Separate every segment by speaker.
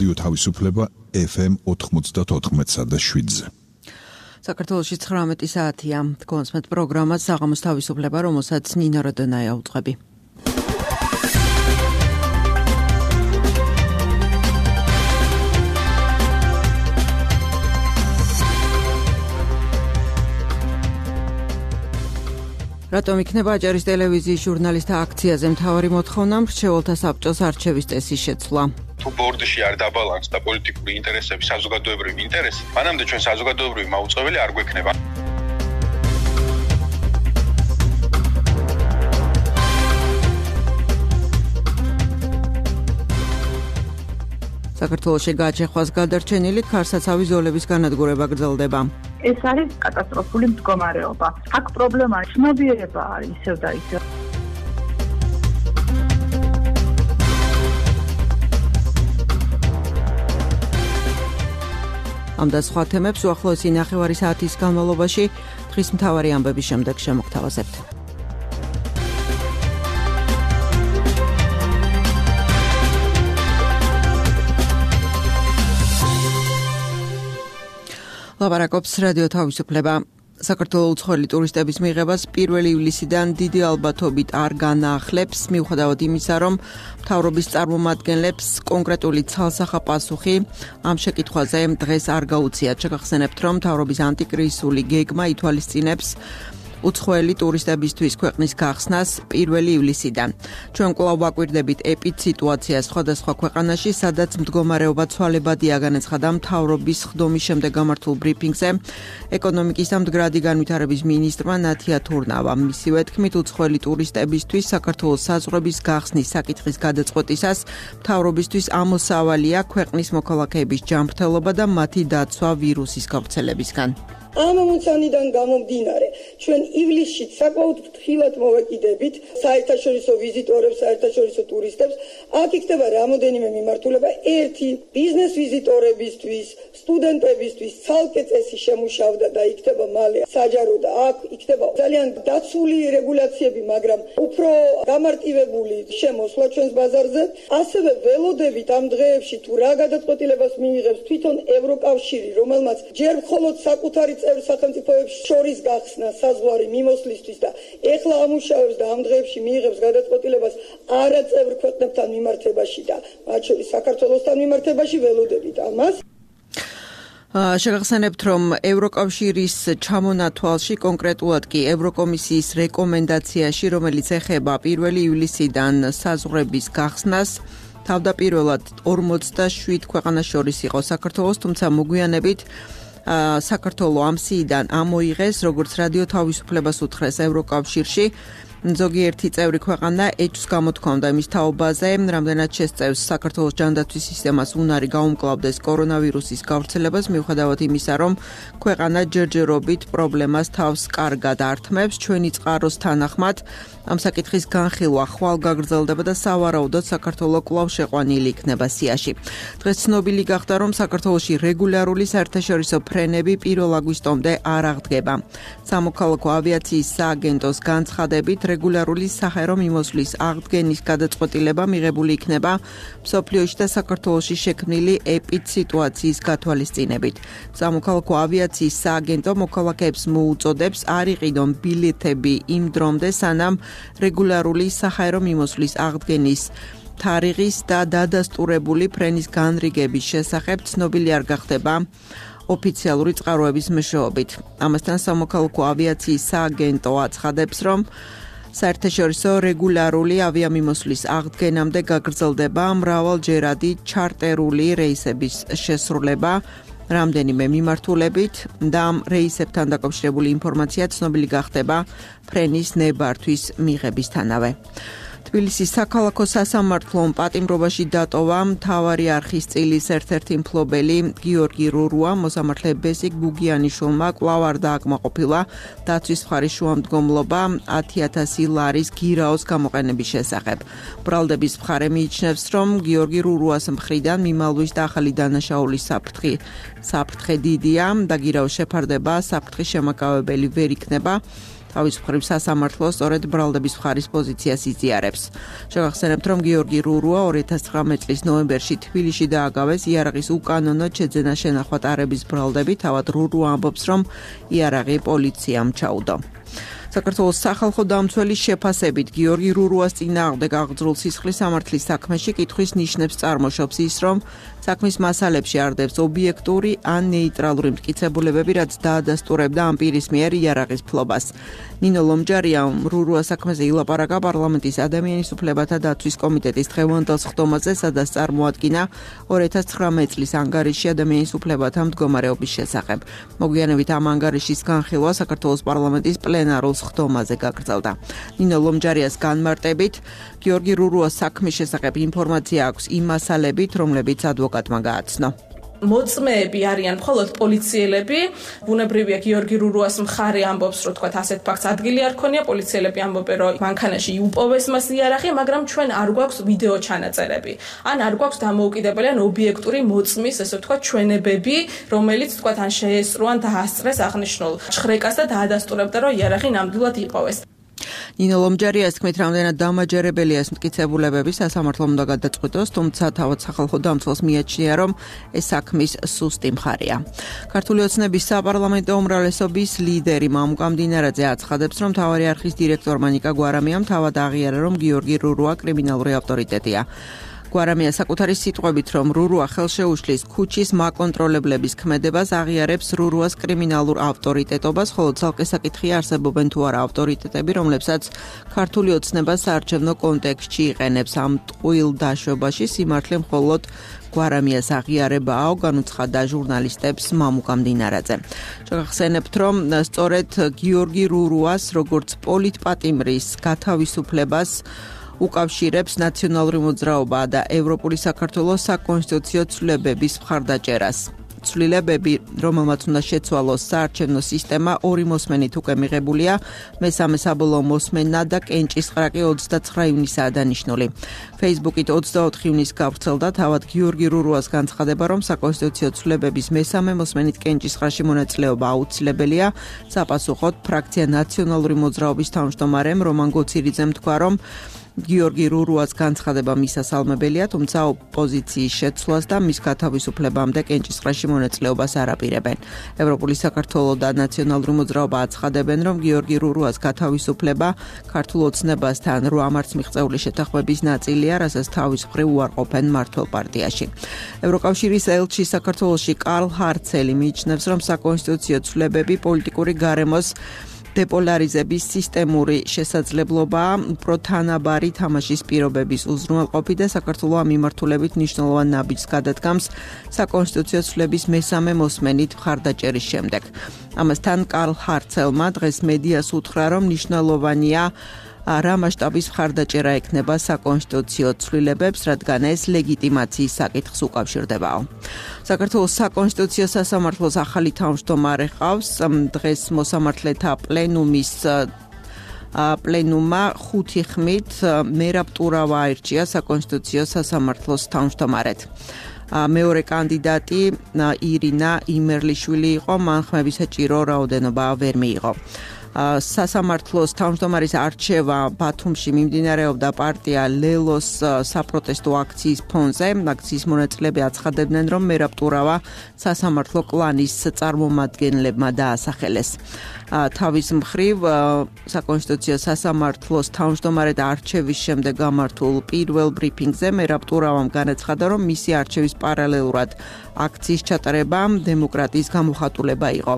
Speaker 1: რადიო თავისუფლება FM 94.7-ზე.
Speaker 2: საქართველოში 19 საათია. კონსმეთ პროგრამა საღამოს თავისუფლება, რომელსაც ნინო როდონაია უძღვები. რატომ იქნება აჭარის ტელევიზიის ჟურნალისტთა აქციაზე მთავარი მოთხოვნა მრჩეველთა საბჭოს არჩევის წესის შეცვლა.
Speaker 3: თუ ბორდში არ დაბალანსდა პოლიტიკური ინტერესები, საზოგადოებრივი ინტერესი, მანამდე ჩვენ საზოგადოებრივი მაუწყებელი არ გვექნება.
Speaker 2: საქართველოში გააჩეხვას გადარჩენილი ქარსაცავი ზოლების განადგურება გრძელდება.
Speaker 4: ეს არის კატასტროფული მდგომარეობა. აქ პრობლემა ცნობიერება არის ისევ და ისევ.
Speaker 2: ამ და სხვა თემებს უახლოესი ნახევარი საათის განმავლობაში დღის მთავარი ამბების შემდეგ შემოგთავაზებთ. ლაპარაკობს რადიო თავისუფლება. საქართველოს უცხოელი ტურისტების მიღებას 1 ივლისიდან დიდი ალბათობით არ განაახლებს, მიუხედავად იმისა, რომ მთავრობის წარმომადგენლებს კონკრეტული ცალსახა პასუხი ამ შეკითხვაზე დღეს არ გაუციათ. შეგახსენებთ, რომ მთავრობის ანტიკრიზისული გეგმა ითვალისწინებს უცხოელი ტურისტებისთვის ქვეყნის გახსნას 1 ივლისიდან. ჩვენ კვლავ ვაკვირდებით ეპიდსიტუაციას სხვადასხვა ქვეყანაში, სადაც მდგომარეობა ცვალებადია, განაცხადა მთავრობის ხდომის შემდეგ გამართულ ბრიფინგზე ეკონომიკის და მდგრადი განვითარების მინისტრმა ნათია თურნავამ. მისივე თქმით, უცხოელი ტურისტებისთვის საქართველოს საზღვრების გახსნის საკითხის გადაწყვეტისას მთავრობისთვის ამოსავალია ქვეყნის მოქალაქეების ჯანმრთელობა და მათი დაცვა ვირუსის გავრცელებისგან.
Speaker 5: ამ ამოცანიდან გამომდინარე, ჩვენ ივლისში საკმაოდ ფრთხილად მოვეკიდებით საერთაშორისო ვიზიტორებს, საერთაშორისო ტურისტებს. აქ იქნება რამოდენიმე მიმართულება. ერთი, ბიზნეს ვიზიტორებისთვის, სტუდენტებისთვის ცალკე წესი შემუშავდა და იქნება მალე საჯარო და აქ იქნება ძალიან დაცული რეგულაციები, მაგრამ უფრო გამარტივებული შემოსვლა ჩვენს ბაზარზე. ასევე ველოდებით ამ დღეებში თუ რა გადაწყვეტილებას მიიღებს თვითონ ევროკავშირი, რომელმაც ჯერ მხოლოდ საკუთარი წევრ სახელმწიფოებს შორის გახსნა საზღვარი მიმოსვლისთვის და ეხლა ამუშავებს და ამ დღეებში მიიღებს გადაწყვეტილებას არაწევრ ქვეყნებთან მიმართებაში და მათ შორის საქართველოსთან მიმართებაში ველოდებით ამას.
Speaker 2: შეგახსენებთ, რომ ევროკავშირის ჩამონათვალში, კონკრეტულად კი ევროკომისიის რეკომენდაციაში, რომელიც ეხება 1 ივლისიდან საზღვრების გახსნას, თავდაპირველად 47 ქვეყანას შორის იყო საქართველოს, თუმცა მოგვიანებით საქართველოს ამ სიიდან ამოიღეს, როგორც რადიო თავისუფლებას უთხრეს ევროკავშირში. ზოგიერთი წევრი ქვეყანა ეჭვს გამოთქვამდა იმის თაობაზე, რამდენად შესწევს საქართველოს ჯანდაცვის სისტემას უნარი გაუმკლავდეს კორონავირუსის გავრცელებას, მიუხედავად იმისა, რომ ქვეყანა ჯერჯერობით პრობლემას თავს კარგად ართმევს. ჩვენი წყაროს თანახმად ამ საკითხის განხილვა ხვალ გაგრძელდება და სავარაუდოდ საქართველოს კვლავ შეყვანილი იქნება სიაში. დღეს ცნობილი გახდა, რომ საქართველოში რეგულარული საერთაშორისო ფრენები 1 აგვისტომდე არ აღდგება. სამოქალაქო ავიაციის სააგენტოს განცხადებით, რეგულარული საჰაერო მიმოსვლის აღდგენის გადაწყვეტილება მიღებული იქნება მსოფლიოში და საქართველოში შექმნილი ეპიდსიტუაციის გათვალისწინებით. სამოქალაქო ავიაციის სააგენტო მოქალაქეებს მოუწოდებს არ იყიდონ ბილეთები იმ დრომდე, სანამ რეგულარული საჰაერო მიმოსვლის აღდგენის თარიღის და დადასტურებული ფრენის განრიგების შესახებ ცნობილი არ გახდება ოფიციალური წყაროების მეშვეობით. ამასთან სამოქალაქო ავიაციის სააგენტო აცხადებს, რომ საერთაშორისო რეგულარული ავიამიმოსვლის აღდგენამდე გაგრძელდება მრავალჯერადი ჩარტერული რეისების შესრულება რამდენიმე მიმართულებით და ამ რეისებთან დაკავშირებული ინფორმაცია ცნობილი გახდება ფრენის ნებართვის მიღებისთანავე. თბილისის საქალაქო სასამართლომ პატიმრობაში დატოვა მთავარი არხის წილის ერთ-ერთი მფლობელი გიორგი რურუა. მოსამართლე ბესიკ გუგიანიშვილმა კვლავ არ დააკმაყოფილა დაცვის მხარის შუამდგომლობა 10,000 ლარის გირაოს გამოყენების შესახებ. ბრალდების მხარე მიიჩნევს, რომ გიორგი რურუას მხრიდან მიმალვის და ახალი დანაშაულის საფრთხე დიდია და გირაოს შეფარდება საფრთხის შემაკავებელი ვერ იქნება. თავის მხრივ სასამართლო სწორედ ბრალდების მხარის პოზიციას იზიარებს. შევახსენებთ, რომ გიორგი რურუა 2019 წლის ნოემბერში თბილისში დააგავეს იარაღის უკანონოდ შეძენა შენახვა ტარების ბრალდები. თავად რურუა ამბობს, რომ იარაღი პოლიციამ ჩაუდო. საქართველოს სახალხო დამცველის შეფასებით გიორგი რურუას წინააღმდეგ აღძრულ სისხლის სამართლის საქმეში კითხვის ნიშნებს წარმოშობს ის, რომ საქმის მასალებში არდებს ობიექტური ან ნეიტრალური მტკიცებულებები, რაც დაადასტურებდა ამ პირის მიერ იარაღის ფლობას. ნინო ლომჯარიამ რურუას საქმეზე ილაპარაკა პარლამენტის ადამიანის უფლებათა დაცვის კომიტეტის დღევანდელ სხდომაზე, სადაც წარმოადგინა 2019 წლის ანგარიში ადამიანის უფლებათა მდგომარეობის შესახებ. მოგვიანებით ამ ანგარიშის განხილვა საქართველოს პარლამენტის პლენარულ სხდომაზე გაგრძელდა. ნინო ლომჯარიას განმარტებით, გიორგი რურუას საქმის შესახებ ინფორმაცია აქვს იმ მასალებით, რომლებიც ადვოკატმა გააცნო.
Speaker 6: მოწმეები არიან მხოლოდ პოლიციელები, ბუნებრივია გიორგი რურუას მხარე ამბობს, რომ თქვათ ასეთ ფაქტს ადგილი არ ქონია, პოლიციელები ამბობენ, რომ მანქანაში იუპოვეს მას იარაღი, მაგრამ ჩვენ არ გვაქვს ვიდეო ჩანაწერები. ან არ გვაქვს დამოუკიდებელი ან ობიექტური მოწმის, ესე ვთქვათ, ჩვენებები, რომელიც თქვათ ან შეესწრო ან დაასწრეს აღნიშნულ ჭხრეკას და დაადასტურებდა, რომ იარაღი ნამდვილად იპოვეს.
Speaker 2: ნინო ლომჯარიას თქმით, რამდენად დამაჯერებელია ეს მტკიცებულებები, სასამართლომ უნდა გადაწყვიტოს, თუმცა თავად სახალხო დამცველს მიაჩნია, რომ ეს საქმის სუსტი მხარეა. ქართული ოცნების საპარლამენტო უმრავლესობის ლიდერი მამუკა მდინარაძე აცხადებს, რომ მთავარი არხის დირექტორმა ნიკა გვარამიამ თავად აღიარა, რომ გიორგი რურუა კრიმინალური ავტორიტეტია. გვარამია საკუთარი სიტყვებით, რომ რურუა ხელშეუშლის ქუჩის მაკონტროლებლების ქმედებას აღიარებს რურუას კრიმინალურ ავტორიტეტობას, ხოლო ცალკე საკითხია არსებობენ თუ არა ავტორიტეტები, რომლებსაც ქართული ოცნება საარჩევნო კონტექსტში იყენებს. ამ ტყუილ დაშვებაში სიმართლე მხოლოდ გვარამიას აღიარებაო, განუცხადა ჟურნალისტებს მამუკა მდინარაძე. შევახსენებთ, რომ სწორედ გიორგი რურუას, როგორც პოლიტპატიმრის გათავისუფლებას უკავშირებს ნაციონალური მოძრაობა და ევროპული საქართველოს საკონსტიტუციო ცვლილებების მხარდაჭერას. ცვლილებები, რომელმაც უნდა შეცვალოს საარჩევნო სისტემა, ორი მოსმენით უკვე მიღებულია, მესამე საბოლოო მოსმენა და კენჭისყრა კი 29 ივნისაა დანიშნული. Facebook-ით 24 ივნისს გავრცელდა თავად გიორგი რურუას განცხადება, რომ საკონსტიტუციო ცვლილებების მესამე მოსმენით კენჭისყრაში მონაწილეობა აუცილებელია. საპასუხოდ ფრაქცია ნაციონალური მოძრაობის თავმჯდომარემ რომან გოცირიძემ თქვა, რომ გიორგი რურუას განცხადება მისასალმებელია, თუმცა ოპოზიციის შეცვლას და მის გათავისუფლებამდე კენჭისყრაში მონაწილეობას არ აპირებენ. ევროპული საქართველო და ნაციონალური მოძრაობა აცხადებენ, რომ გიორგი რურუას გათავისუფლება ქართულ ოცნებასთან 8 მარტს მიღწეული შეთანხმების ნაწილია, რასაც თავის მხრივ უარყოფენ მმართველ პარტიაში. ევროკავშირის ელჩი საქართველოში კარლ ჰარცელი მიიჩნევს, რომ საკონსტიტუციო ცვლილებები პოლიტიკური გარემოს დეპოლარიზების სისტემური შესაძლებლობაა, უფრო თანაბარი თამაშის პირობების უზრუნველყოფი და საქართველოს ამ მიმართულებით მნიშვნელოვან ნაბიჯს გადადგამს საკონსტიტუციო ცვლილების მესამე მოსმენით მხარდაჭერის შემდეგ. ამასთან კარლ ჰარცელმა დღეს მედიას უთხრა, რომ მნიშვნელოვანია რა მასშტაბის მხარდაჭერა ექნება საკონსტიტუციო ცვლილებებს, რადგან ეს ლეგიტიმაციის საკითხს უკავშირდებაო. საქართველოს საკონსტიტუციო სასამართლოს ახალი თავმჯდომარე ყავს. დღეს მოსამართლეთა პლენუმმა 5 ხმით მერაბ ტურავა აირჩია საკონსტიტუციო სასამართლოს თავმჯდომარედ. მეორე კანდიდატი ირინა იმერლიშვილი იყო, მან ხმების საჭირო რაოდენობა ვერ მიიღო. სასამართლოს თავმჯდომარის არჩევა ბათუმში მიმდინარეობდა პარტია ლელოს საპროტესტო აქციის ფონზე. აქციის მონაწილეები აცხადებდნენ, რომ მერაბ ტურავა სასამართლო კლანის წარმომადგენლებმა დაასახელეს. თავის მხრივ საკონსტიტუციო სასამართლოს თავმჯდომარედ არჩევის შემდეგ გამართულ პირველ ბრიფინგზე მერაბ ტურავამ განაცხადა, რომ მისი არჩევის პარალელურად აქციის ჩატარება დემოკრატიის გამოხატულება იყო.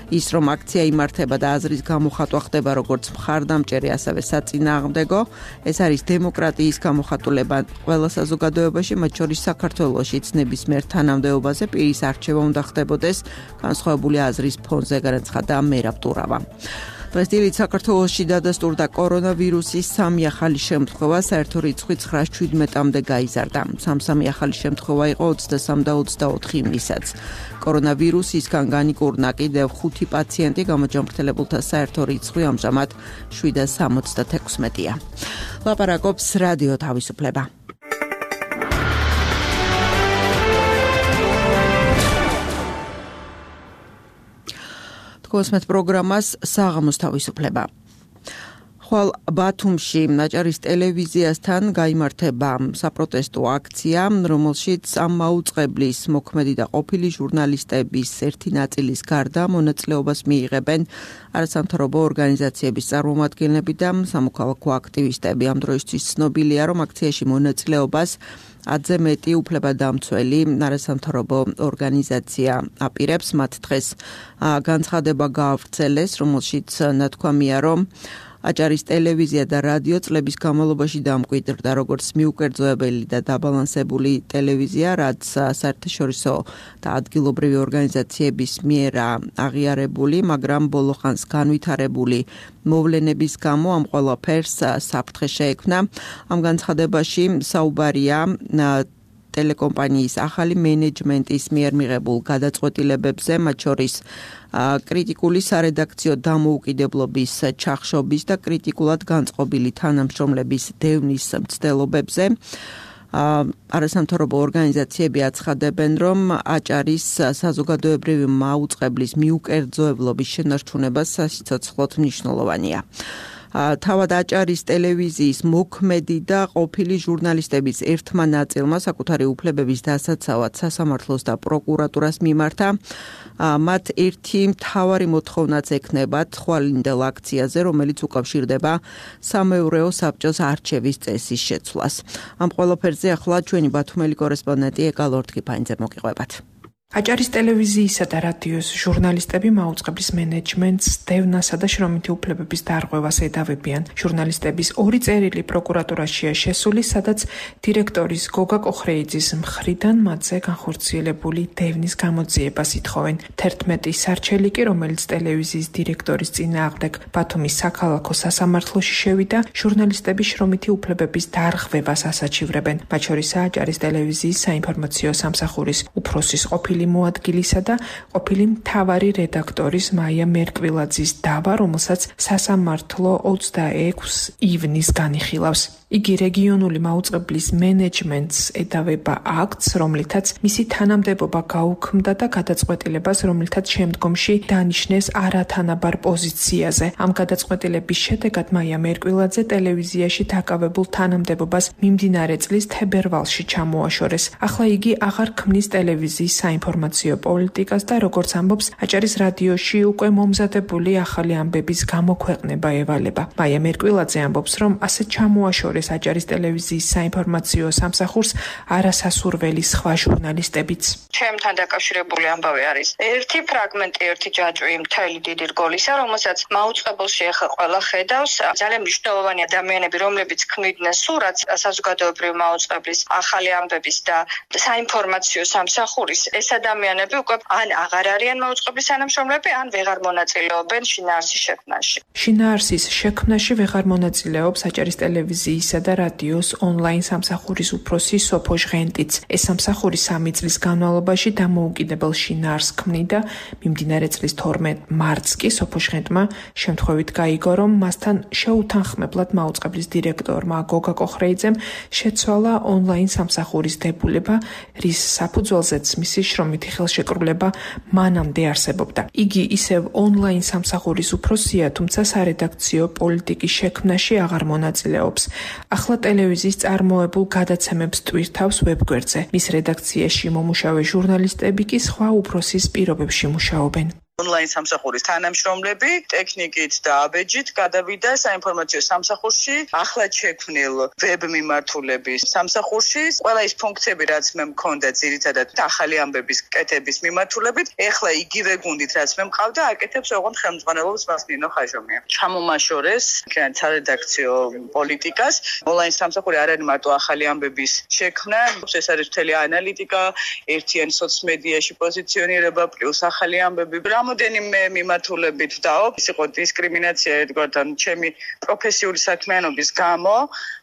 Speaker 2: ის, რომ აქცია იმართება და აზრის გამოხატვა ხდება როგორც მხარდამჭერი, ასევე საწინააღმდეგო, ეს არის დემოკრატიის გამოხატულება ყველა საზოგადოებაში, მათ შორის საქართველოშიც ნებისმიერ თანამდებობაზე პირის არჩევა უნდა ხდებოდეს განსხვავებული აზრის ფონზე, განაცხადა მერაბ ტურავა. დღეს დილით საქართველოში დადასტურდა კორონავირუსის 3 ახალი შემთხვევა, საერთო რიცხვი 917-მდე გაიზარდა. 3 ახალი შემთხვევა იყო 23 და 24 ივნისაც. კორონავირუსისგან განიკურნა კიდევ 5 პაციენტი, გამოჯანმრთელებულთა საერთო რიცხვი ამჟამად 776-ია. ლაპარაკობს რადიო თავისუფლება. Თქვენს პროგრამას საღამოს თავისუფლება. ხვალ ბათუმში აჭარის ტელევიზიასთან გაიმართება საპროტესტო აქცია, რომელშიც ამ მაუწყებლის მოქმედი და ყოფილი ჟურნალისტების ერთი ნაწილის გარდა მონაწილეობას მიიღებენ არასამთავრობო ორგანიზაციების წარმომადგენლები და სამოქალაქო აქტივისტები. ამ დროისთვის ცნობილია, რომ აქციაში მონაწილეობას 10-ზე მეტი უფლებადამცველი არასამთავრობო ორგანიზაცია აპირებს. მათ დღეს განცხადება გაავრცელეს, რომელშიც ნათქვამია, რომ აჭარის ტელევიზია და რადიო წლების განმავლობაში დამკვიდრდა როგორც მიუკერძოებელი და დაბალანსებული ტელევიზია, რაც საერთაშორისო და ადგილობრივი ორგანიზაციების მიერ აღიარებული, მაგრამ ბოლო ხანს განვითარებული მოვლენების გამო ამ ყველაფერს საფრთხე შეექმნა. ამ განცხადებაში საუბარია ტელეკომპანიის ახალი მენეჯმენტის მიერ მიღებულ გადაწყვეტილებებზე, მათ შორის კრიტიკული სარედაქციო დამოუკიდებლობის ჩახშობის და კრიტიკულად განწყობილი თანამშრომლების დევნის მცდელობებზე. არასამთავრობო ორგანიზაციები აცხადებენ, რომ აჭარის საზოგადოებრივი მაუწყებლის მიუკერძოებლობის შენარჩუნება სასიცოცხლოდ მნიშვნელოვანია. თავად აჭარის ტელევიზიის მოქმედი და ყოფილი ჟურნალისტების ერთმა ნაწილმა საკუთარი უფლებების დასაცავად სასამართლოს და პროკურატურას მიმართა. მათ ერთი მთავარი მოთხოვნაც ექნებათ ხვალინდელ აქციაზე, რომელიც უკავშირდება სამეურვეო საბჭოს არჩევის წესის შეცვლას. ამ ყველაფერზე ახლა ჩვენი ბათუმელი კორესპონდენტი ეკა ლორთქიფანიძე მოგიყვებათ.
Speaker 7: აჭარის ტელევიზიისა და რადიოს ჟურნალისტები მაუწყებლის მენეჯმენტს დევნასა და შრომითი უფლებების დარღვევას ედავებიან. ჟურნალისტების ორი წერილი პროკურატურაშია შესული, სადაც დირექტორის გოგა კოხრეიძის მხრიდან მათზე განხორციელებული დევნის გამოძიებას ითხოვენ. 11 სარჩელი კი, რომელიც ტელევიზიის დირექტორის წინააღმდეგ ბათუმის საქალაქო სასამართლოში შევიდა, ჟურნალისტების შრომითი უფლებების დარღვევას ასაჩივრებენ. მათ შორისაა აჭარის ტელევიზიის საინფორმაციო სამსახურის უფროსის ყოფილი მოადგილისა და ყოფილი მთავარი რედაქტორის მაია მერკვილაძის დავა, რომელსაც სასამართლო 26 ივნის განიხილავს. იგი რეგიონული მაუწყებლის მენეჯმენტს ედავება აქტს, რომლითაც მისი თანამდებობა გაუქმდა და გადაწყვეტილებას, რომლითაც შემდგომში დანიშნეს არათანაბარ პოზიციაზე. ამ გადაწყვეტილების შედეგად მაია მერკვილაძე ტელევიზიაში დაკავებულ თანამდებობას მიმდინარე წლის თებერვალში ჩამოაშორეს. ახლა იგი აღარ ქმნის ტელევიზიის საინფორმაციო პოლიტიკას და როგორც ამბობს, აჭარის რადიოში უკვე მომზადებული ახალი ამბების გამოქვეყნება ევალება. მაია მერკვილაძე ამბობს, რომ ასე ჩამოაშორეს აჭარის ტელევიზიის საინფორმაციო სამსახურს არასასურველი სხვა ჟურნალისტებიც.
Speaker 8: ჩემთან დაკავშირებული ამბავი არის ერთი ფრაგმენტი, ერთი ჯაჭვი მთელი დიდი რგოლისა, რომელსაც მაუწყებელში ახლა ყველა ხედავს. ძალიან მნიშვნელოვანი ადამიანები, რომლებიც ქმნიდნენ სურათს საზოგადოებრივი მაუწყებლის ახალი ამბების და საინფორმაციო სამსახურის, ეს ადამიანები უკვე ან აღარ არიან მაუწყებლის თანამშრომლები, ან ვეღარ მონაწილეობენ შინაარსის შექმნაში.
Speaker 7: შინაარსის შექმნაში ვეღარ მონაწილეობს აჭარის ტელევიზიის და რადიოს ონლაინ სამსახურის უფროსი სოფო ჟღენტიც. ეს სამსახური 3 წლის განმავლობაში დამოუკიდებელ შინაარსს ქმნიდა. მიმდინარე წლის 12 მარტს კი სოფო ჟღენტმა შემთხვევით გაიგო, რომ მასთან შეუთანხმებლად მაუწყებლის დირექტორმა გოგა კოხრეიძემ შეცვალა ონლაინ სამსახურის დებულება, რის საფუძველზეც მისი შრომითი ხელშეკრულება მანამდე არსებობდა. იგი ისევ ონლაინ სამსახურის უფროსია, თუმცა სარედაქციო პოლიტიკის შექმნაში აღარ მონაწილეობს. ახლა ტელევიზიის წარმოებულ გადაცემებს ტვირთავს ვებგვერდზე. მის რედაქციაში მომუშავე ჟურნალისტები კი სხვა უფროსის პირობებში მუშაობენ.
Speaker 9: ონლაინ სამსახურის თანამშრომლები ტექნიკით და აბეჯით გადავიდა საინფორმაციო სამსახურში, ახლად შექმნილ ვებ მიმართულების სამსახურში. ყველა ის ფუნქციები, რაც მე მქონდა ძირითადად ახალი ამბების კეთების მიმართულებით, ეხლა იგივე გუნდით, რაც მე მყავდა, აკეთებს ოღონდ ხელმძღვანელობს მას ნინო ხაჟომია. ჩამომაშორეს სარედაქციო პოლიტიკას. ონლაინ სამსახური არ არის მარტო ახალი ამბების შექმნა, ეს არის მთელი ანალიტიკა, ერთიანი სოციმედიაში პოზიციონირება, პლუს ახალი ამბები. რამოდენიმე მიმართულებით ვდაობ, ის იყო დისკრიმინაცია ერთგვართან ჩემი პროფესიული საქმიანობის გამო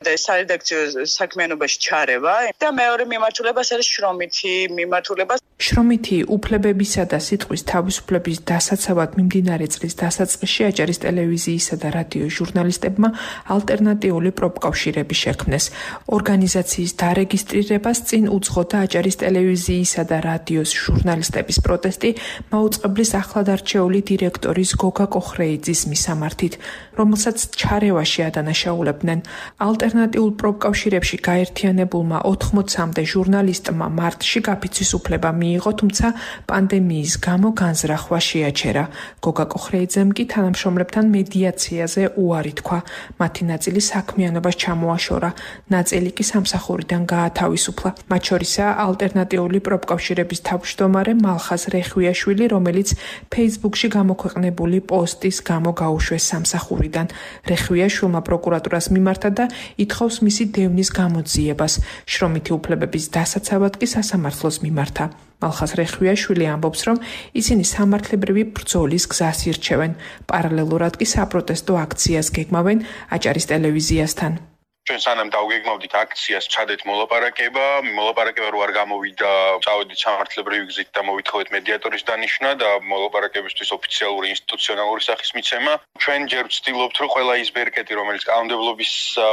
Speaker 9: და სარედაქციო საქმიანობაში ჩარევა და მეორე მიმართულებას არის შრომითი მიმართულება.
Speaker 7: შრომითი უფლებებისა და სიტყვის თავისუფლების დასაცავად მიმდინარე წლის დასაწყისში აჭარის ტელევიზიისა და რადიოს ჟურნალისტებმა ალტერნატიული პროფკავშირები შექმნეს. ორგანიზაციის დარეგისტრირებას წინ უძღოდა აჭარის ტელევიზიისა და რადიოს ჟურნალისტების პროტესტი მაუწყებლის ახლად არჩეული დირექტორის გოგა კოხრეიძის მისამართით, რომელსაც ჩარევაში ადანაშაულებდნენ. ალტერნატიულ პროფკავშირებში გაერთიანებულმა 80-მდე ჟურნალისტმა მარტში გაფიცვის უფლება მიიღო, თუმცა პანდემიის გამო განზრახვა შეაჩერა. გოგა კოხრეიძემ კი თანამშრომლებთან მედიაციაზე უარი თქვა. მათი ნაწილი საქმიანობას ჩამოაშორა, ნაწილი კი სამსახურიდან გაათავისუფლა. მათ შორისაა ალტერნატიული პროფკავშირების თავმჯდომარე მალხაზ რეხვიაშვილი, რომელიც ფეისბუქში გამოქვეყნებული პოსტის გამო გაუშვეს სამსახურიდან. რეხვიაშვილმა პროკურატურას მიმართა და ითხოვს მისი დევნის გამოძიებას. შრომითი უფლებების დასაცავად კი სასამართლოს მიმართა. მალხაზ რეხვიაშვილი ამბობს, რომ ისინი სამართლებრივი ბრძოლის გზას ირჩევენ. პარალელურად კი საპროტესტო აქციას გეგმავენ აჭარის ტელევიზიასთან.
Speaker 3: ჩვენ სანამ დავგეგმავდით აქციას, ჩადეთ მოლაპარაკება რო არ გამოვიდა, წავედით სამართლებრივი გზით და მოვითხოვეთ მედიატორის დანიშვნა და მოლაპარაკებისთვის ოფიციალური ინსტიტუციონალური სახის მიცემა. ჩვენ ჯერ ვცდილობთ, რომ ყველა ის ბერკეტი, რომელიც კანონმდებლობის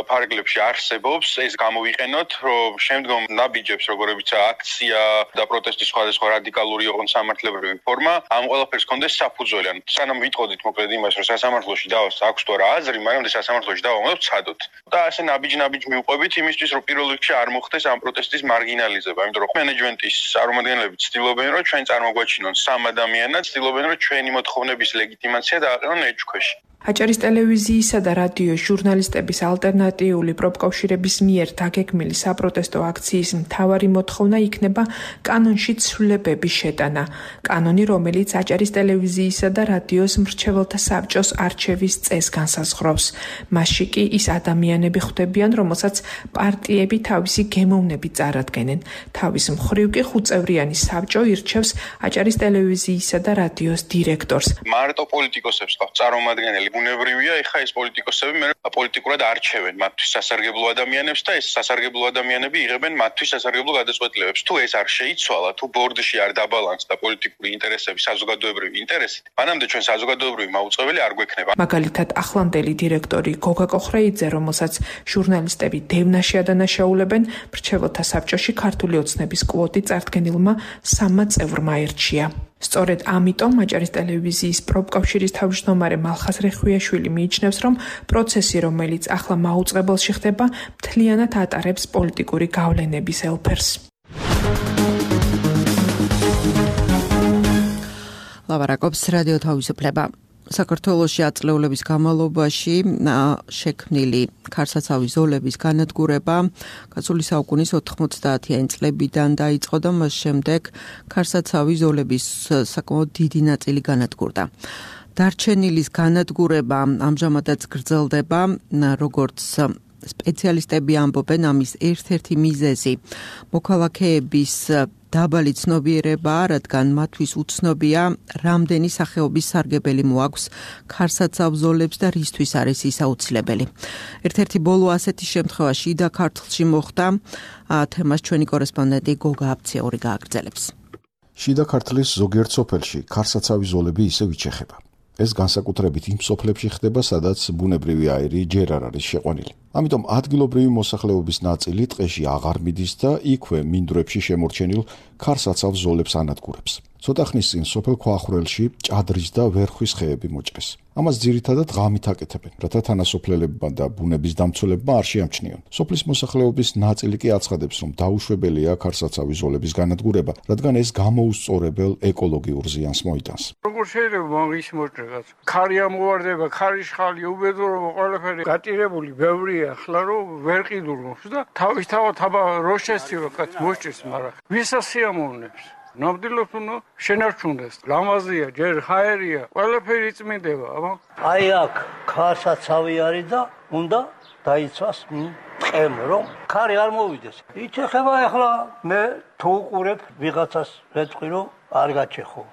Speaker 3: ფარგლებში არსებობს, ეს გამოვიყენოთ, რომ შემდგომ ნაბიჯებს, როგორებიცაა აქცია და პროტესტის სხვადასხვა რადიკალური ოღონდ სამართლებრივი ფორმა, ამ ყველაფერს კონდეს საფუძველი. სანამ ვიტყოდით მოკლედ იმას, რომ სასამართლოში აქვს თუ არა აზრი, მაგრამ სასამართლოში დავამოვნებთ ცადოთ. და ასე ნაბიჯ მიუყვებით იმისთვის, რომ პირველ რიგში არ მოხდეს ამ პროტესტის მარგინალიზება, იმიტომ რომ მენეჯმენტის წარმომადგენლები ცდილობენ, რომ ჩვენ წარმოგვაჩინონ სამ ადამიანად, ცდილობენ, რომ ჩვენი მოთხოვნების ლეგიტიმაცია დააყენონ ეჭქვეში.
Speaker 7: აჭარის ტელევიზიისა და რადიოს ჟურნალისტების ალტერნატიული პროფკავშირების მიერ დაგეგმილი საპროტესტო აქციის მთავარი მოთხოვნა იქნება კანონში ცვლილებების შეტანა. კანონი, რომელიც აჭარის ტელევიზიისა და რადიოს მრჩეველთა საბჭოს არჩევის წესს განსაზღვრავს. მასში კი ის ადამიანები ხვდებიან, რომელსაც პარტიები თავისი გემოვნებით წარადგენენ. თავის მხრივ კი 5-წევრიანი საბჭო ირჩევს აჭარის ტელევიზიისა და რადიოს დირექტორს.
Speaker 3: მარტო პოლიტიკოსებს ყავს წარმომადგენელი. ბუნებრივია, ეხა ეს პოლიტიკოსები მე პოლიტიკურად არჩევენ მათთვის სასარგებლო ადამიანებს და ეს სასარგებლო ადამიანები იღებენ მათთვის სასარგებლო გადაწყვეტილებებს. თუ ეს არ შეიცვალა, თუ ბორდში არ დაბალანსდა პოლიტიკური ინტერესები საზოგადოებრივი ინტერესით, მანამდე ჩვენ საზოგადოებრივი მაუწყებელი არ გვექნება.
Speaker 7: მაგალითად, ახლანდელი დირექტორი გოგა კოხრეიძე, რომელსაც ჟურნალისტები დევნაში ადანაშაულებენ, მრჩეველთა საბჭოში ქართული ოცნების კვოტი წარდგენილმა 3 წევრმა ერჩია. სწორედ ამიტომ აჭარის ტელევიზიის პროფკავშირის თავმჯდომარე მალხაზ რეხვიაშვილი მიიჩნევს, რომ პროცესი, რომელიც ახლა მაუწყებელში ხდება, მთლიანად ატარებს პოლიტიკური გავლენების ელფერს.
Speaker 2: ლაპარაკობს რადიო თავისუფლება. საქართველოში აწლეულების განმავლობაში შექმნილი ქარსაცავი ზოლების განადგურება გასული საუკუნის 90-იანი წლებიდან დაიწყო და მას შემდეგ ქარსაცავი ზოლების საკმაოდ დიდი ნაწილი განადგურდა. დარჩენილის განადგურება ამჟამადაც გრძელდება, როგორც სპეციალისტები ამბობენ, ამის ერთ-ერთი მიზეზი მოქალაქეების დაბალი ცნობიერება, რადგან მათთვის უცნობია, რამდენი სახეობის სარგებელი მოაქვს ქარსაცავ ზოლებს და რისთვის არის ის აუცილებელი. ერთ-ერთი ბოლო ასეთი შემთხვევა შიდა ქართლში მოხდა, თემას ჩვენი კორესპონდენტი გოგა აფციური გააგრძელებს.
Speaker 10: შიდა ქართლის ზოგიერთ სოფელში ქარსაცავი ზოლები ისევ იჩეხება. ეს განსაკუთრებით იმ სოფლებში ხდება, სადაც ბუნებრივი აირი ჯერ არ არის შეყვანილი. ამიტომ ადგილობრივი მოსახლეობის ნაწილი ტყეში აღარ მიდის და იქვე მინდვრებში შემორჩენილ ქარსაცავ ზოლებს ანადგურებს. ცოტა ხნის წინ სოფელ ქვახრელში ჭადრის და ვერხვის ხეები მოჭრეს. ამას ძირითადად ღამით აკეთებენ, რათა თანასოფლელებმა და ბუნების დამცველებმა არ შეამჩნიონ. სოფლის მოსახლეობის ნაწილი კი აცხადებს, რომ დაუშვებელია ქარსაცავი ზოლების განადგურება, რადგან ეს გამოუსწორებელ ეკოლოგიურ ზიანს მოიტანს.
Speaker 11: როგორ შეიძლება მაგის მოჭრებას? ქარი ამოვარდება, ქარის ხალი, უბედურობა, ყველაფერი გატირებული, ბევრია, ახლა რომ ვერ ყიდულობს და თავისთავად აბა რო შესწივა კაც მოჭრეს, მაგრამ ვისაც სიამოვნებს? ნამდვილად უნდა შენარჩუნდეს. ლამაზია, ჯერ ჰაერია, ყველაფერი წმინდება, აბა.
Speaker 12: აი აქ ქარსაცავი არის და უნდა დაიცვას ტყემ, რომ ქარი არ მოვიდეს. იჩეხება ახლა მე თუ უყურებ ვიღაცას ვეთქვი რომ არ გაჩეხო.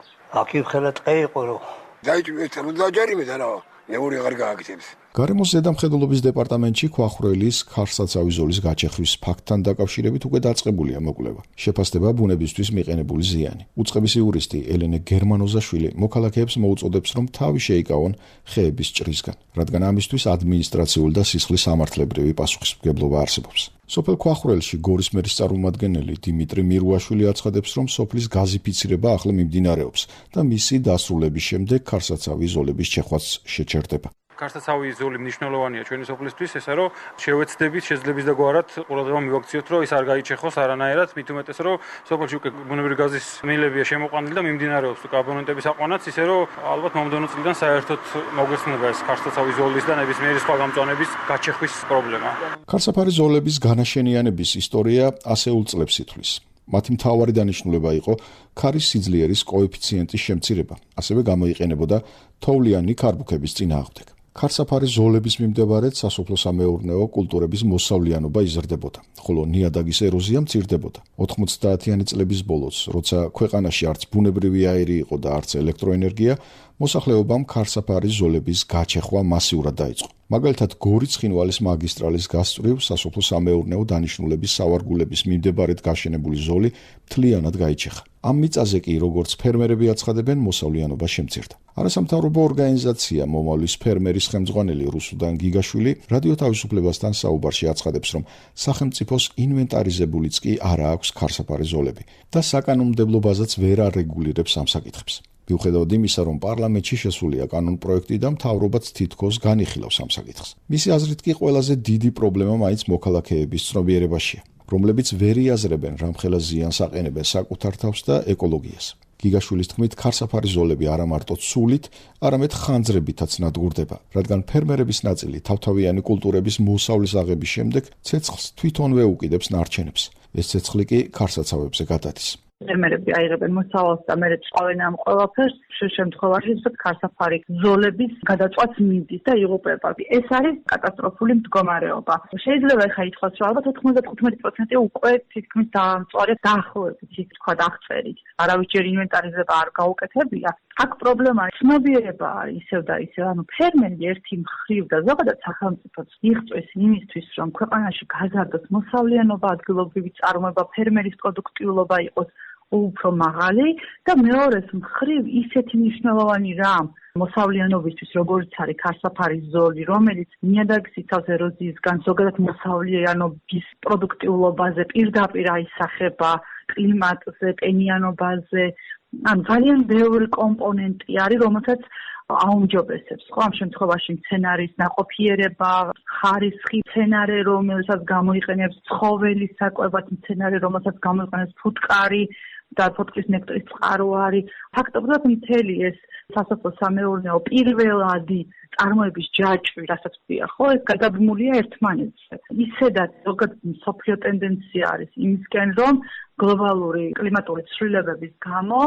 Speaker 12: აქ იხელა ტყე იყო რომ
Speaker 13: დაიჭირეთ რომ დაჯარიმეთ არა, მეორე აღარ გააკეთებს.
Speaker 10: გარემოს ზედამხედველობის დეპარტამენტში ქვახრელის ქარსაცავი ზოლის გაჩეხვის ფაქტთან დაკავშირებით უკვე დაწყებულია მოკვლევა. შეფასდება ბუნებისთვის მიყენებული ზიანი. უწყების იურისტი ელენე გერმანოზაშვილი მოქალაქეებს მოუწოდებს, რომ თავი შეიკავონ ხეების ჭრისგან, რადგან ამისთვის ადმინისტრაციული და სისხლის სამართლებრივი პასუხისმგებლობა არსებობს. სოფელ ქვახრელში გორის მერის წარმომადგენელი დიმიტრი მირუაშვილი აცხადებს, რომ სოფლის გაზიფიცირება ახლა მიმდინარეობს და მისი დასრულების შემდეგ ქარსაცავი ზოლების ჩეხვაც შეჩერდება.
Speaker 13: ქარსაცავი ზოლი მნიშვნელოვანია ჩვენი სოფლისთვის, ესა რომ შევეცდებით შეძლების და გვარად ყურადღება მივაქციოთ, რომ ის არ გაიჩეხოს არანაირად, მით უმეტეს რომ სოფელში უკვე ბუნებრივი გაზის მილებია შემოყვანილი და მიმდინარეობს კაბონენტების აყვანაც, ისე რომ ალბათ მომდევნო წლიდან საერთოდ მოგვეცნება ეს ქარსაცავი ზოლის და ნებისმიერი სხვა გამწვანების გაჩეხვის პრობლემა.
Speaker 10: ქარსაფარი ზოლების განაშენიანების ისტორია ასეულ წლებს ითვლის. მათი მთავარი დანიშნულება იყო ქარის სიძლიერის კოეფიციენტის შემცირება, ასევე გამოიყენებოდა თოვლიანი ქარბუქების წინააღმდეგ. ქარსაფარი ზოლების მიმდებარედ სასოფლო-სამეურნეო კულტურების მოსავლიანობა იზრდებოდა, ხოლო ნიადაგის ეროზია მცირდებოდა. 90-იანი წლების ბოლოს, როცა ქვეყანაში არც ბუნებრივი აირი იყო და არც ელექტროენერგია, მოსახლეობამ ქარსაფარი ზოლების გაჩეხვა მასიურად დაიწყო. მაგალითად, გორის-ცხინვალის მაგისტრალის გასწვრივ სასოფლო-სამეურნეო დანიშნულების სავარგულების მიმდებარედ გაშენებული ზოლი მთლიანად გაიჩეხა. ამ მიწაზე კი, როგორც ფერმერები აცხადებენ, მოსავლიანობა შემცირდა. არასამთავრობო ორგანიზაცია მომავლის ფერმერის ხელმძღვანელი რუსუდან გიგაშვილი რადიო თავისუფლებასთან საუბარში აცხადებს, რომ სახელმწიფოს ინვენტარიზებულიც კი არა აქვს ქარსაფარი ზოლები და საკანონმდებლობაზეც ვერ არეგულირებს ამ საკითხებს. მიუხედავად იმისა, რომ პარლამენტში შესულია კანონპროექტი და მთავრობაც თითქოს განიხილავს ამ საკითხს. მისი აზრით კი ყველაზე დიდი პრობლემა მაინც მოქალაქეების ცნობიერებაშია, რომლებიც ვერ იაზრებენ რამხელა ზიანს აყენებენ საკუთარ თავს და ეკოლოგიას. გიგაშვილის თქმით, ქარსაფარი ზოლები არა მარტო ცულით, არამედ ხანძრებითაც ნადგურდება, რადგან ფერმერების ნაწილი თავთავიანი კულტურების მოსავლის აღების შემდეგ ცეცხლს თვითონვე უკიდებს ნარჩენებს. ეს ცეცხლი კი ქარსაცავებზე გადადის.
Speaker 4: ფერმერები აიღებენ მოსავალს და მერე წავენ ამ ყველაფერს, შემთხვევაში ქარსაფარი ზოლების გადაწყვეტს მიდის და იღუპება. ეს არის კატასტროფული მდგომარეობა. შეიძლება ხა ითქვას, რომ ალბათ 95% უკვე თითქმის დამწვარი დაახლოებით, ის თქვა აღწერით. არავის ჯერ ინვენტარიზება არ გაუკეთებია. აქ პრობლემა ცნობიერება არის ისევ და ისევ, ანუ ფერმერი ერთი მხრივ და ზოგადად სახელმწიფოც იღწვის იმისთვის, რომ ქვეყანაში გაზარდოს მოსავლიანობა, ადგილობრივი წარმოება, ფერმერის პროდუქტიულობა იყოს უფრო მაღალი და მეორეს მხრივ ისეთი მნიშვნელოვანი რამ მოსავლიანობისთვის, როგორც არის ქარსაფარი ზოლი, რომელიც ნიადაგის იცავს ეროზიისგან, ზოგადად მოსავლიანობის პროდუქტიულობაზე პირდაპირ აისახება, კლიმატზე, ტენიანობაზე, ანუ ძალიან ბევრი კომპონენტი არის, რომელსაც აუმჯობესებს. ხო, ამ შემთხვევაში მცენარის ნაყოფიერება, ხარისხი, მცენარე, რომელსაც გამოიყენებს ცხოველის საკვებად, მცენარე, რომელსაც გამოიყენებს ფუტკარი და ფუტკრის ნექტრის წყარო არის. ფაქტობრივად მთელი ეს სასოფლო-სამეურნეო პირველადი წარმოების ჯაჭვი, რასაც ვთქვია, ხო, ეს გადაბმულია ერთმანეთზე. ისედაც ზოგადად მსოფლიო ტენდენცია არის იმისკენ, რომ გლობალური კლიმატური ცვლილებების გამო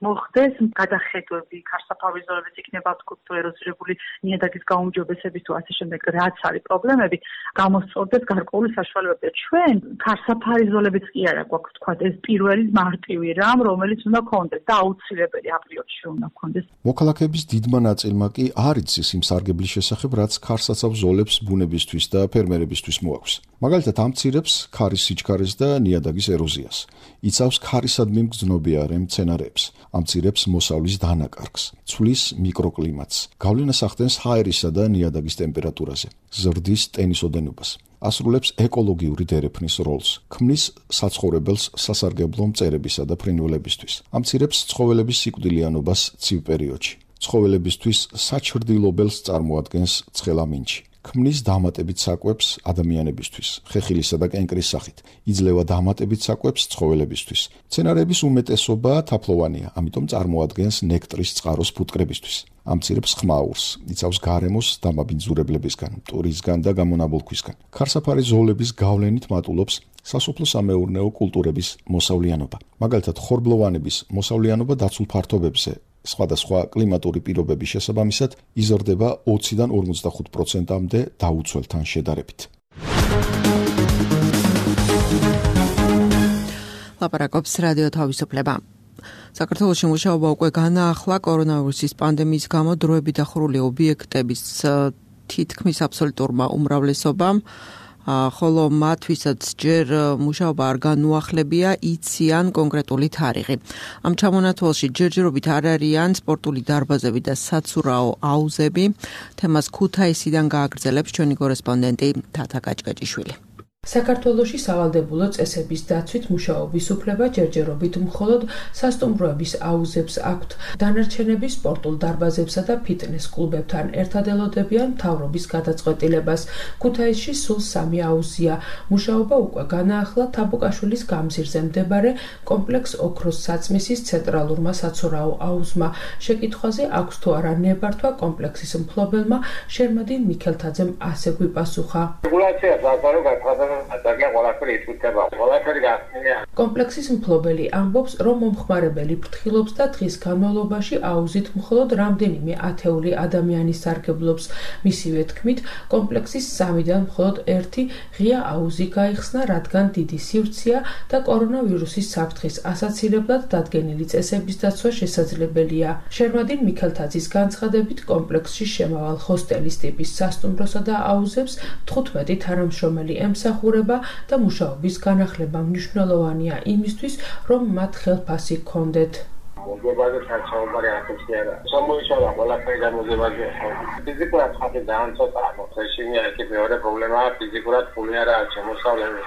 Speaker 4: მოხდეს გადახედვები, ქარსაფარის ზოლების იქნება თქო ეროზირებული ნიადაგის გაუმჯობესების თუ ასე შემდეგ, რაც არის პრობლემები, გამოსწორდეს გარკვეული საშუალებები. ჩვენ ქარსაფარის ზოლებიც კი არა გვაქვს თქვა ეს პირველი მარტივი რამ, რომელიც უნდა გქონდეს და აუცილებელი აპრიორში უნდა გქონდეს.
Speaker 10: მოქალაქეების დიდმა ნაწილმა კი არ იცის იმ სარგებლის შესახებ, რაც ქარსაცავ ზოლებს ბუნებისთვის და ფერმერებისთვის მოაქვს. მაგალითად, ამცირებს ქარის სიჩქარეს და ნიადაგის ეროზიას. იცავს ქარისადმი მგრძნობიარე მცენარეებს, ამცირებს მოსავლის დანაკარგს, ცვლის მიკროკლიმატს, გავლენას ახდენს ჰაერისა და ნიადაგის ტემპერატურაზე, ზრდის ტენის ოდენობას, ასრულებს ეკოლოგიური დერეფნის როლს, ქმნის საცხოვრებელს სასარგებლო მწერებისა და ფრინველებისთვის, ამცირებს ცხოველების სიკვდილიანობას ცივ პერიოდში, ცხოველებისთვის საჩრდილობელს წარმოადგენს ცხელამინჩი. ქმნის დამატებით საკვებს ადამიანებისთვის, ხეხილისა და კენკრის სახით, იძლევა დამატებით საკვებს ცხოველებისთვის. მცენარეების უმეტესობა თაფლოვანია, ამიტომ წარმოადგენს ნექტრის წყაროს ფუტკრებისთვის. ამცირებს ხმაურს, იცავს გარემოს დამაბინძურებლებისგან, მტვრისგან და გამონაბოლქვისგან. ქარსაფარი ზოლების გავლენით მატულობს სასოფლო-სამეურნეო კულტურების მოსავლიანობა. მაგალითად, ხორბლოვანების მოსავლიანობა დაცულ ფართობებზე სხვადასხვა კლიმატური პირობების შესაბამისად იზრდება 20-დან 55%-მდე დაუცველთან შედარებით.
Speaker 2: ლაპარაკობს რადიო თავისუფლება. საქართველოში მუშაობა უკვე განაახლა კორონავირუსის პანდემიის გამო დროებით დახურული ობიექტების თითქმის აბსოლუტურმა უმრავლესობამ, ხოლო მათ, ვისაც ჯერ მუშაობა არ განუახლებია, იციან კონკრეტული თარიღი. ამ ჩამონათვალში ჯერჯერობით არ არიან სპორტული დარბაზები და საცურაო აუზები. თემას ქუთაისიდან გააგრძელებს ჩვენი კორესპონდენტი თათა კაჭკაჭიშვილი.
Speaker 7: საქართველოში სავალდებულო წესების დაცვით მუშაობის უფლება ჯერჯერობით მხოლოდ სასტუმროების აუზებს აქვთ. დანარჩენები სპორტულ დარბაზებსა და ფიტნეს კლუბებთან ერთად ელოდებიან მთავრობის გადაწყვეტილებას. ქუთაისში სულ 3 აუზია. მუშაობა უკვე განაახლა თაბუკაშვილის გამზირზე მდებარე კომპლექს ოქროს საწმისის ცენტრალურმა საცურაო აუზმა. შეკითხვაზე აქვს თუ არა ნებართვა კომპლექსის მფლობელმა შერმადინ მიქელთაძემ ასე გვიპასუხა. კომპლექსის მფლობელი ამბობს, რომ მომხმარებელი ფრთხილობს და დღის განმავლობაში აუზით მხოლოდ რამდენიმე ათეული ადამიანი სარგებლობს. მისივე თქმით, კომპლექსის 3-დან მხოლოდ 1 ღია აუზი გაიხსნა, რადგან დიდი სივრცეა და კორონავირუსის საფრთხის ასაცილებლად დადგენილი წესების დაცვა შესაძლებელია. შერმადინ მიქელთაძის განცხადებით, კომპლექსში შემავალ ჰოსტელის ტიპის სასტუმროსა და აუზებს 15 თანამშრომელი ემსახურება და მუშაობის განახლება მნიშვნელოვანია იმისთვის, რომ მათ ხელფასი ჰქონდეთ.
Speaker 14: მოძებაზე საერთოდ არაფერია. სამოიშალა ყველაფერი გამოძებაზე. ფიზიკურად ხათი ძალიან ცოტაა. რეჟიმი არის მეორე პრობლემაა, ფიზიკურად ფული არ აქვს შემოსავლები.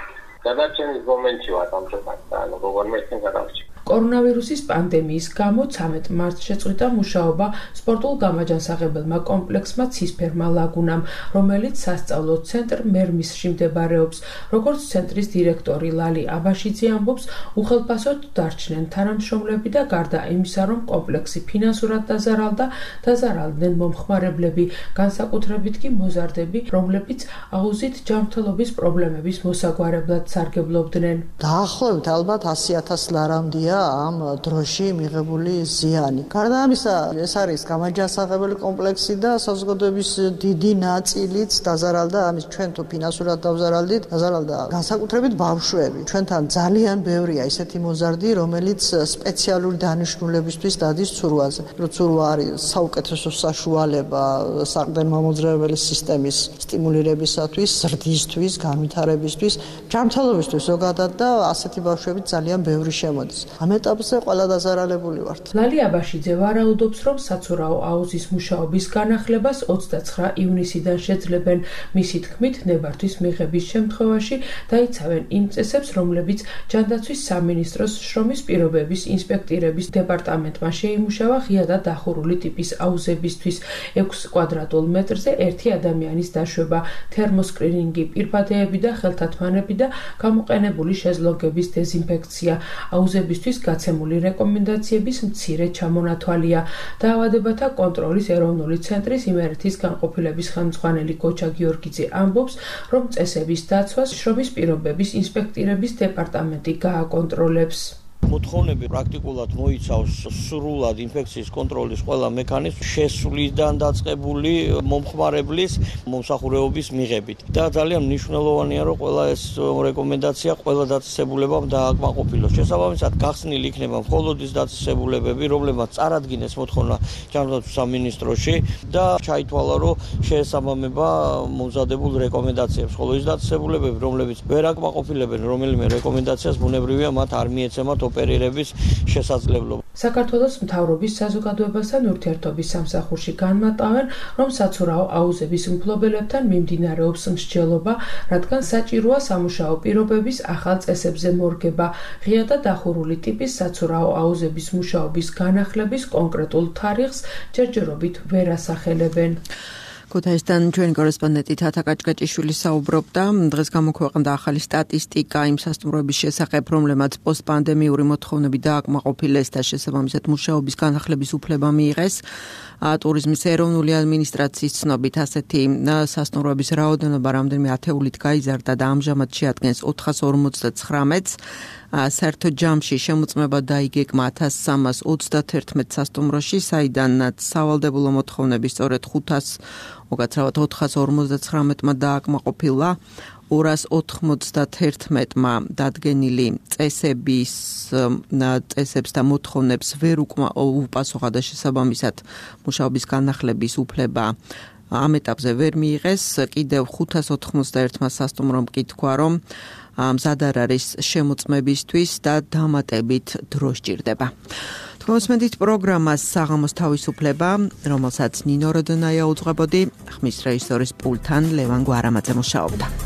Speaker 14: გადარჩენის მომენტი ვარ ამ წუთად და როგორ მეცენ გადავჭი.
Speaker 7: კორონავირუსის პანდემიის გამო 13 მარტს შეწყვიტა მუშაობა სპორტულ გამაჯანსაღებელმა კომპლექსმა ცისფერმა ლაგუნამ, რომელიც სასწავლო ცენტრ მერმისში მდებარეობს. როგორც ცენტრის დირექტორი ლალი აბაშიძე ამბობს, უხელფასოდ დარჩნენ თანამშრომლები და გარდა იმისა, რომ კომპლექსი ფინანსურად დაზარალდა, დაზარალდნენ მომხმარებლები, განსაკუთრებით კი მოზარდები, რომლებიც აუზით ჯანმრთელობის პრობლემების მოსაგვარებლად სარგებლობდნენ.
Speaker 15: დაახლოებით ალბათ 100,000 ლარამდია ამ დროში მიღებული ზიანი. გარდა ამისა, ეს არის გამაჯანსაღებელი კომპლექსი და საზოგადოების დიდი ნაწილიც დაზარალდა, ამის ჩვენ თუ ფინანსურად დავზარალდით, დაზარალდა განსაკუთრებით ბავშვები. ჩვენთან ძალიან ბევრია ისეთი მოზარდი, რომელიც სპეციალური დანიშნულებისთვის დადის ცურვაზე. ცურვა არის საუკეთესო საშუალება საყრდენ-მამოძრავებელი სისტემის სტიმულირებისათვის, ზრდისთვის, განვითარებისთვის, ჯანმრთელობისთვის ზოგადად და ასეთი ბავშვები ძალიან ბევრი შემოდის. ამ ეტაპზე ყველა დაზარალებული ვართ.
Speaker 7: ლალი აბაშიძე ვარაუდობს, რომ საცურაო აუზის მუშაობის განახლებას 29 ივნისიდან შეძლებენ. მისი თქმით, ნებართვის მიღების შემთხვევაში დაიცავენ იმ წესებს, რომლებიც ჯანდაცვის სამინისტროს შრომის პირობების ინსპექტირების დეპარტამენტმა შეიმუშავა ღია და დახურული ტიპის აუზებისთვის 6 კვადრატულ მეტრზე 1 ადამიანის დაშვება, თერმოსკრინინგი, პირბადეები და ხელთათმანები და გამოყენებული შეზლოგების დეზინფექცია. აუზებისთვის გაცემული რეკომენდაციების მცირე ჩამონათვალია. დაავადებათა კონტროლის ეროვნული ცენტრის იმერეთის განყოფილების ხელმძღვანელი გოჩა გიორგიძე ამბობს, რომ წესების დაცვას შრომის პირობების ინსპექტირების დეპარტამენტი გააკონტროლებს.
Speaker 12: მოთხოვნები პრაქტიკულად მოიცავს სრულად ინფექციის კონტროლის ყველა მექანიზმს შესვლიდან დაწყებული მომხმარებლის მომსახურეობის მიღებით. და ძალიან მნიშვნელოვანია, რომ ყველა ეს რეკომენდაცია ყველა დაწესებულებამ დააკმაყოფილოს. შესაბამისად, გახსნილი იქნება მხოლოდ ის დაწესებულებები, რომლებმაც წარადგინეს მოთხოვნა ჯანდაცვის სამინისტროში და ჩაითვალა, რომ შეესაბამება მომზადებულ რეკომენდაციებს. ხოლო ის დაწესებულებები, რომლებიც ვერ აკმაყოფილებენ რომელიმე რეკომენდაციას, ბუნებრივია მათ არ მიეცემათ ოპერირების შესაძლებლობა.
Speaker 7: საქართველოს მთავრობის საზოგადოებასთან ურთიერთობის სამსახურში განმარტავენ, რომ საცურაო აუზების მფლობელებთან მიმდინარეობს მსჯელობა, რადგან საჭიროა სამუშაო პირობების ახალ წესებზე მორგება. ღია და დახურული ტიპის საცურაო აუზების მუშაობის განახლების კონკრეტულ თარიღს ჯერჯერობით ვერ ასახელებენ.
Speaker 2: ქუთაისთან ჩვენი კორესპონდენტი თათა კაჭკაჭიშვილი საუბრობდა. დღეს გამოქვეყნდა ახალი სტატისტიკა იმ სასტუმროების შესახებ, რომლებმაც პოსტპანდემიური მოთხოვნები დააკმაყოფილეს და შესაბამისად მუშაობის განახლების უფლება მიიღეს. ტურიზმის ეროვნული ადმინისტრაციის ცნობით ასეთი სასტუმროების რაოდენობა რამდენიმე ათეულით გაიზარდა და ამჟამად შეადგენს 459-ს. საერთო ჯამში შემოწმება დაიგეგმა 1331 სასტუმროში, საიდანაც სავალდებულო მოთხოვნები სწორედ 459-მა დააკმაყოფილა. 291-მა დადგენილი წესებს და მოთხოვნებს ვერ უპასუხა და შესაბამისად მუშაობის განახლების უფლება ამ ეტაპზე ვერ მიიღეს, კიდევ 591-მა სასტუმრომ კი თქვა, რომ მზად არ არის შემოწმებისთვის და დამატებით დრო სჭირდება. თქმით, პროგრამას საღამოს თავისუფლება, რომელსაც ნინო როდონაია უძღვებოდი, ხმის რეჟისორის პულთან ლევან გვარამაძე მუშაობდა.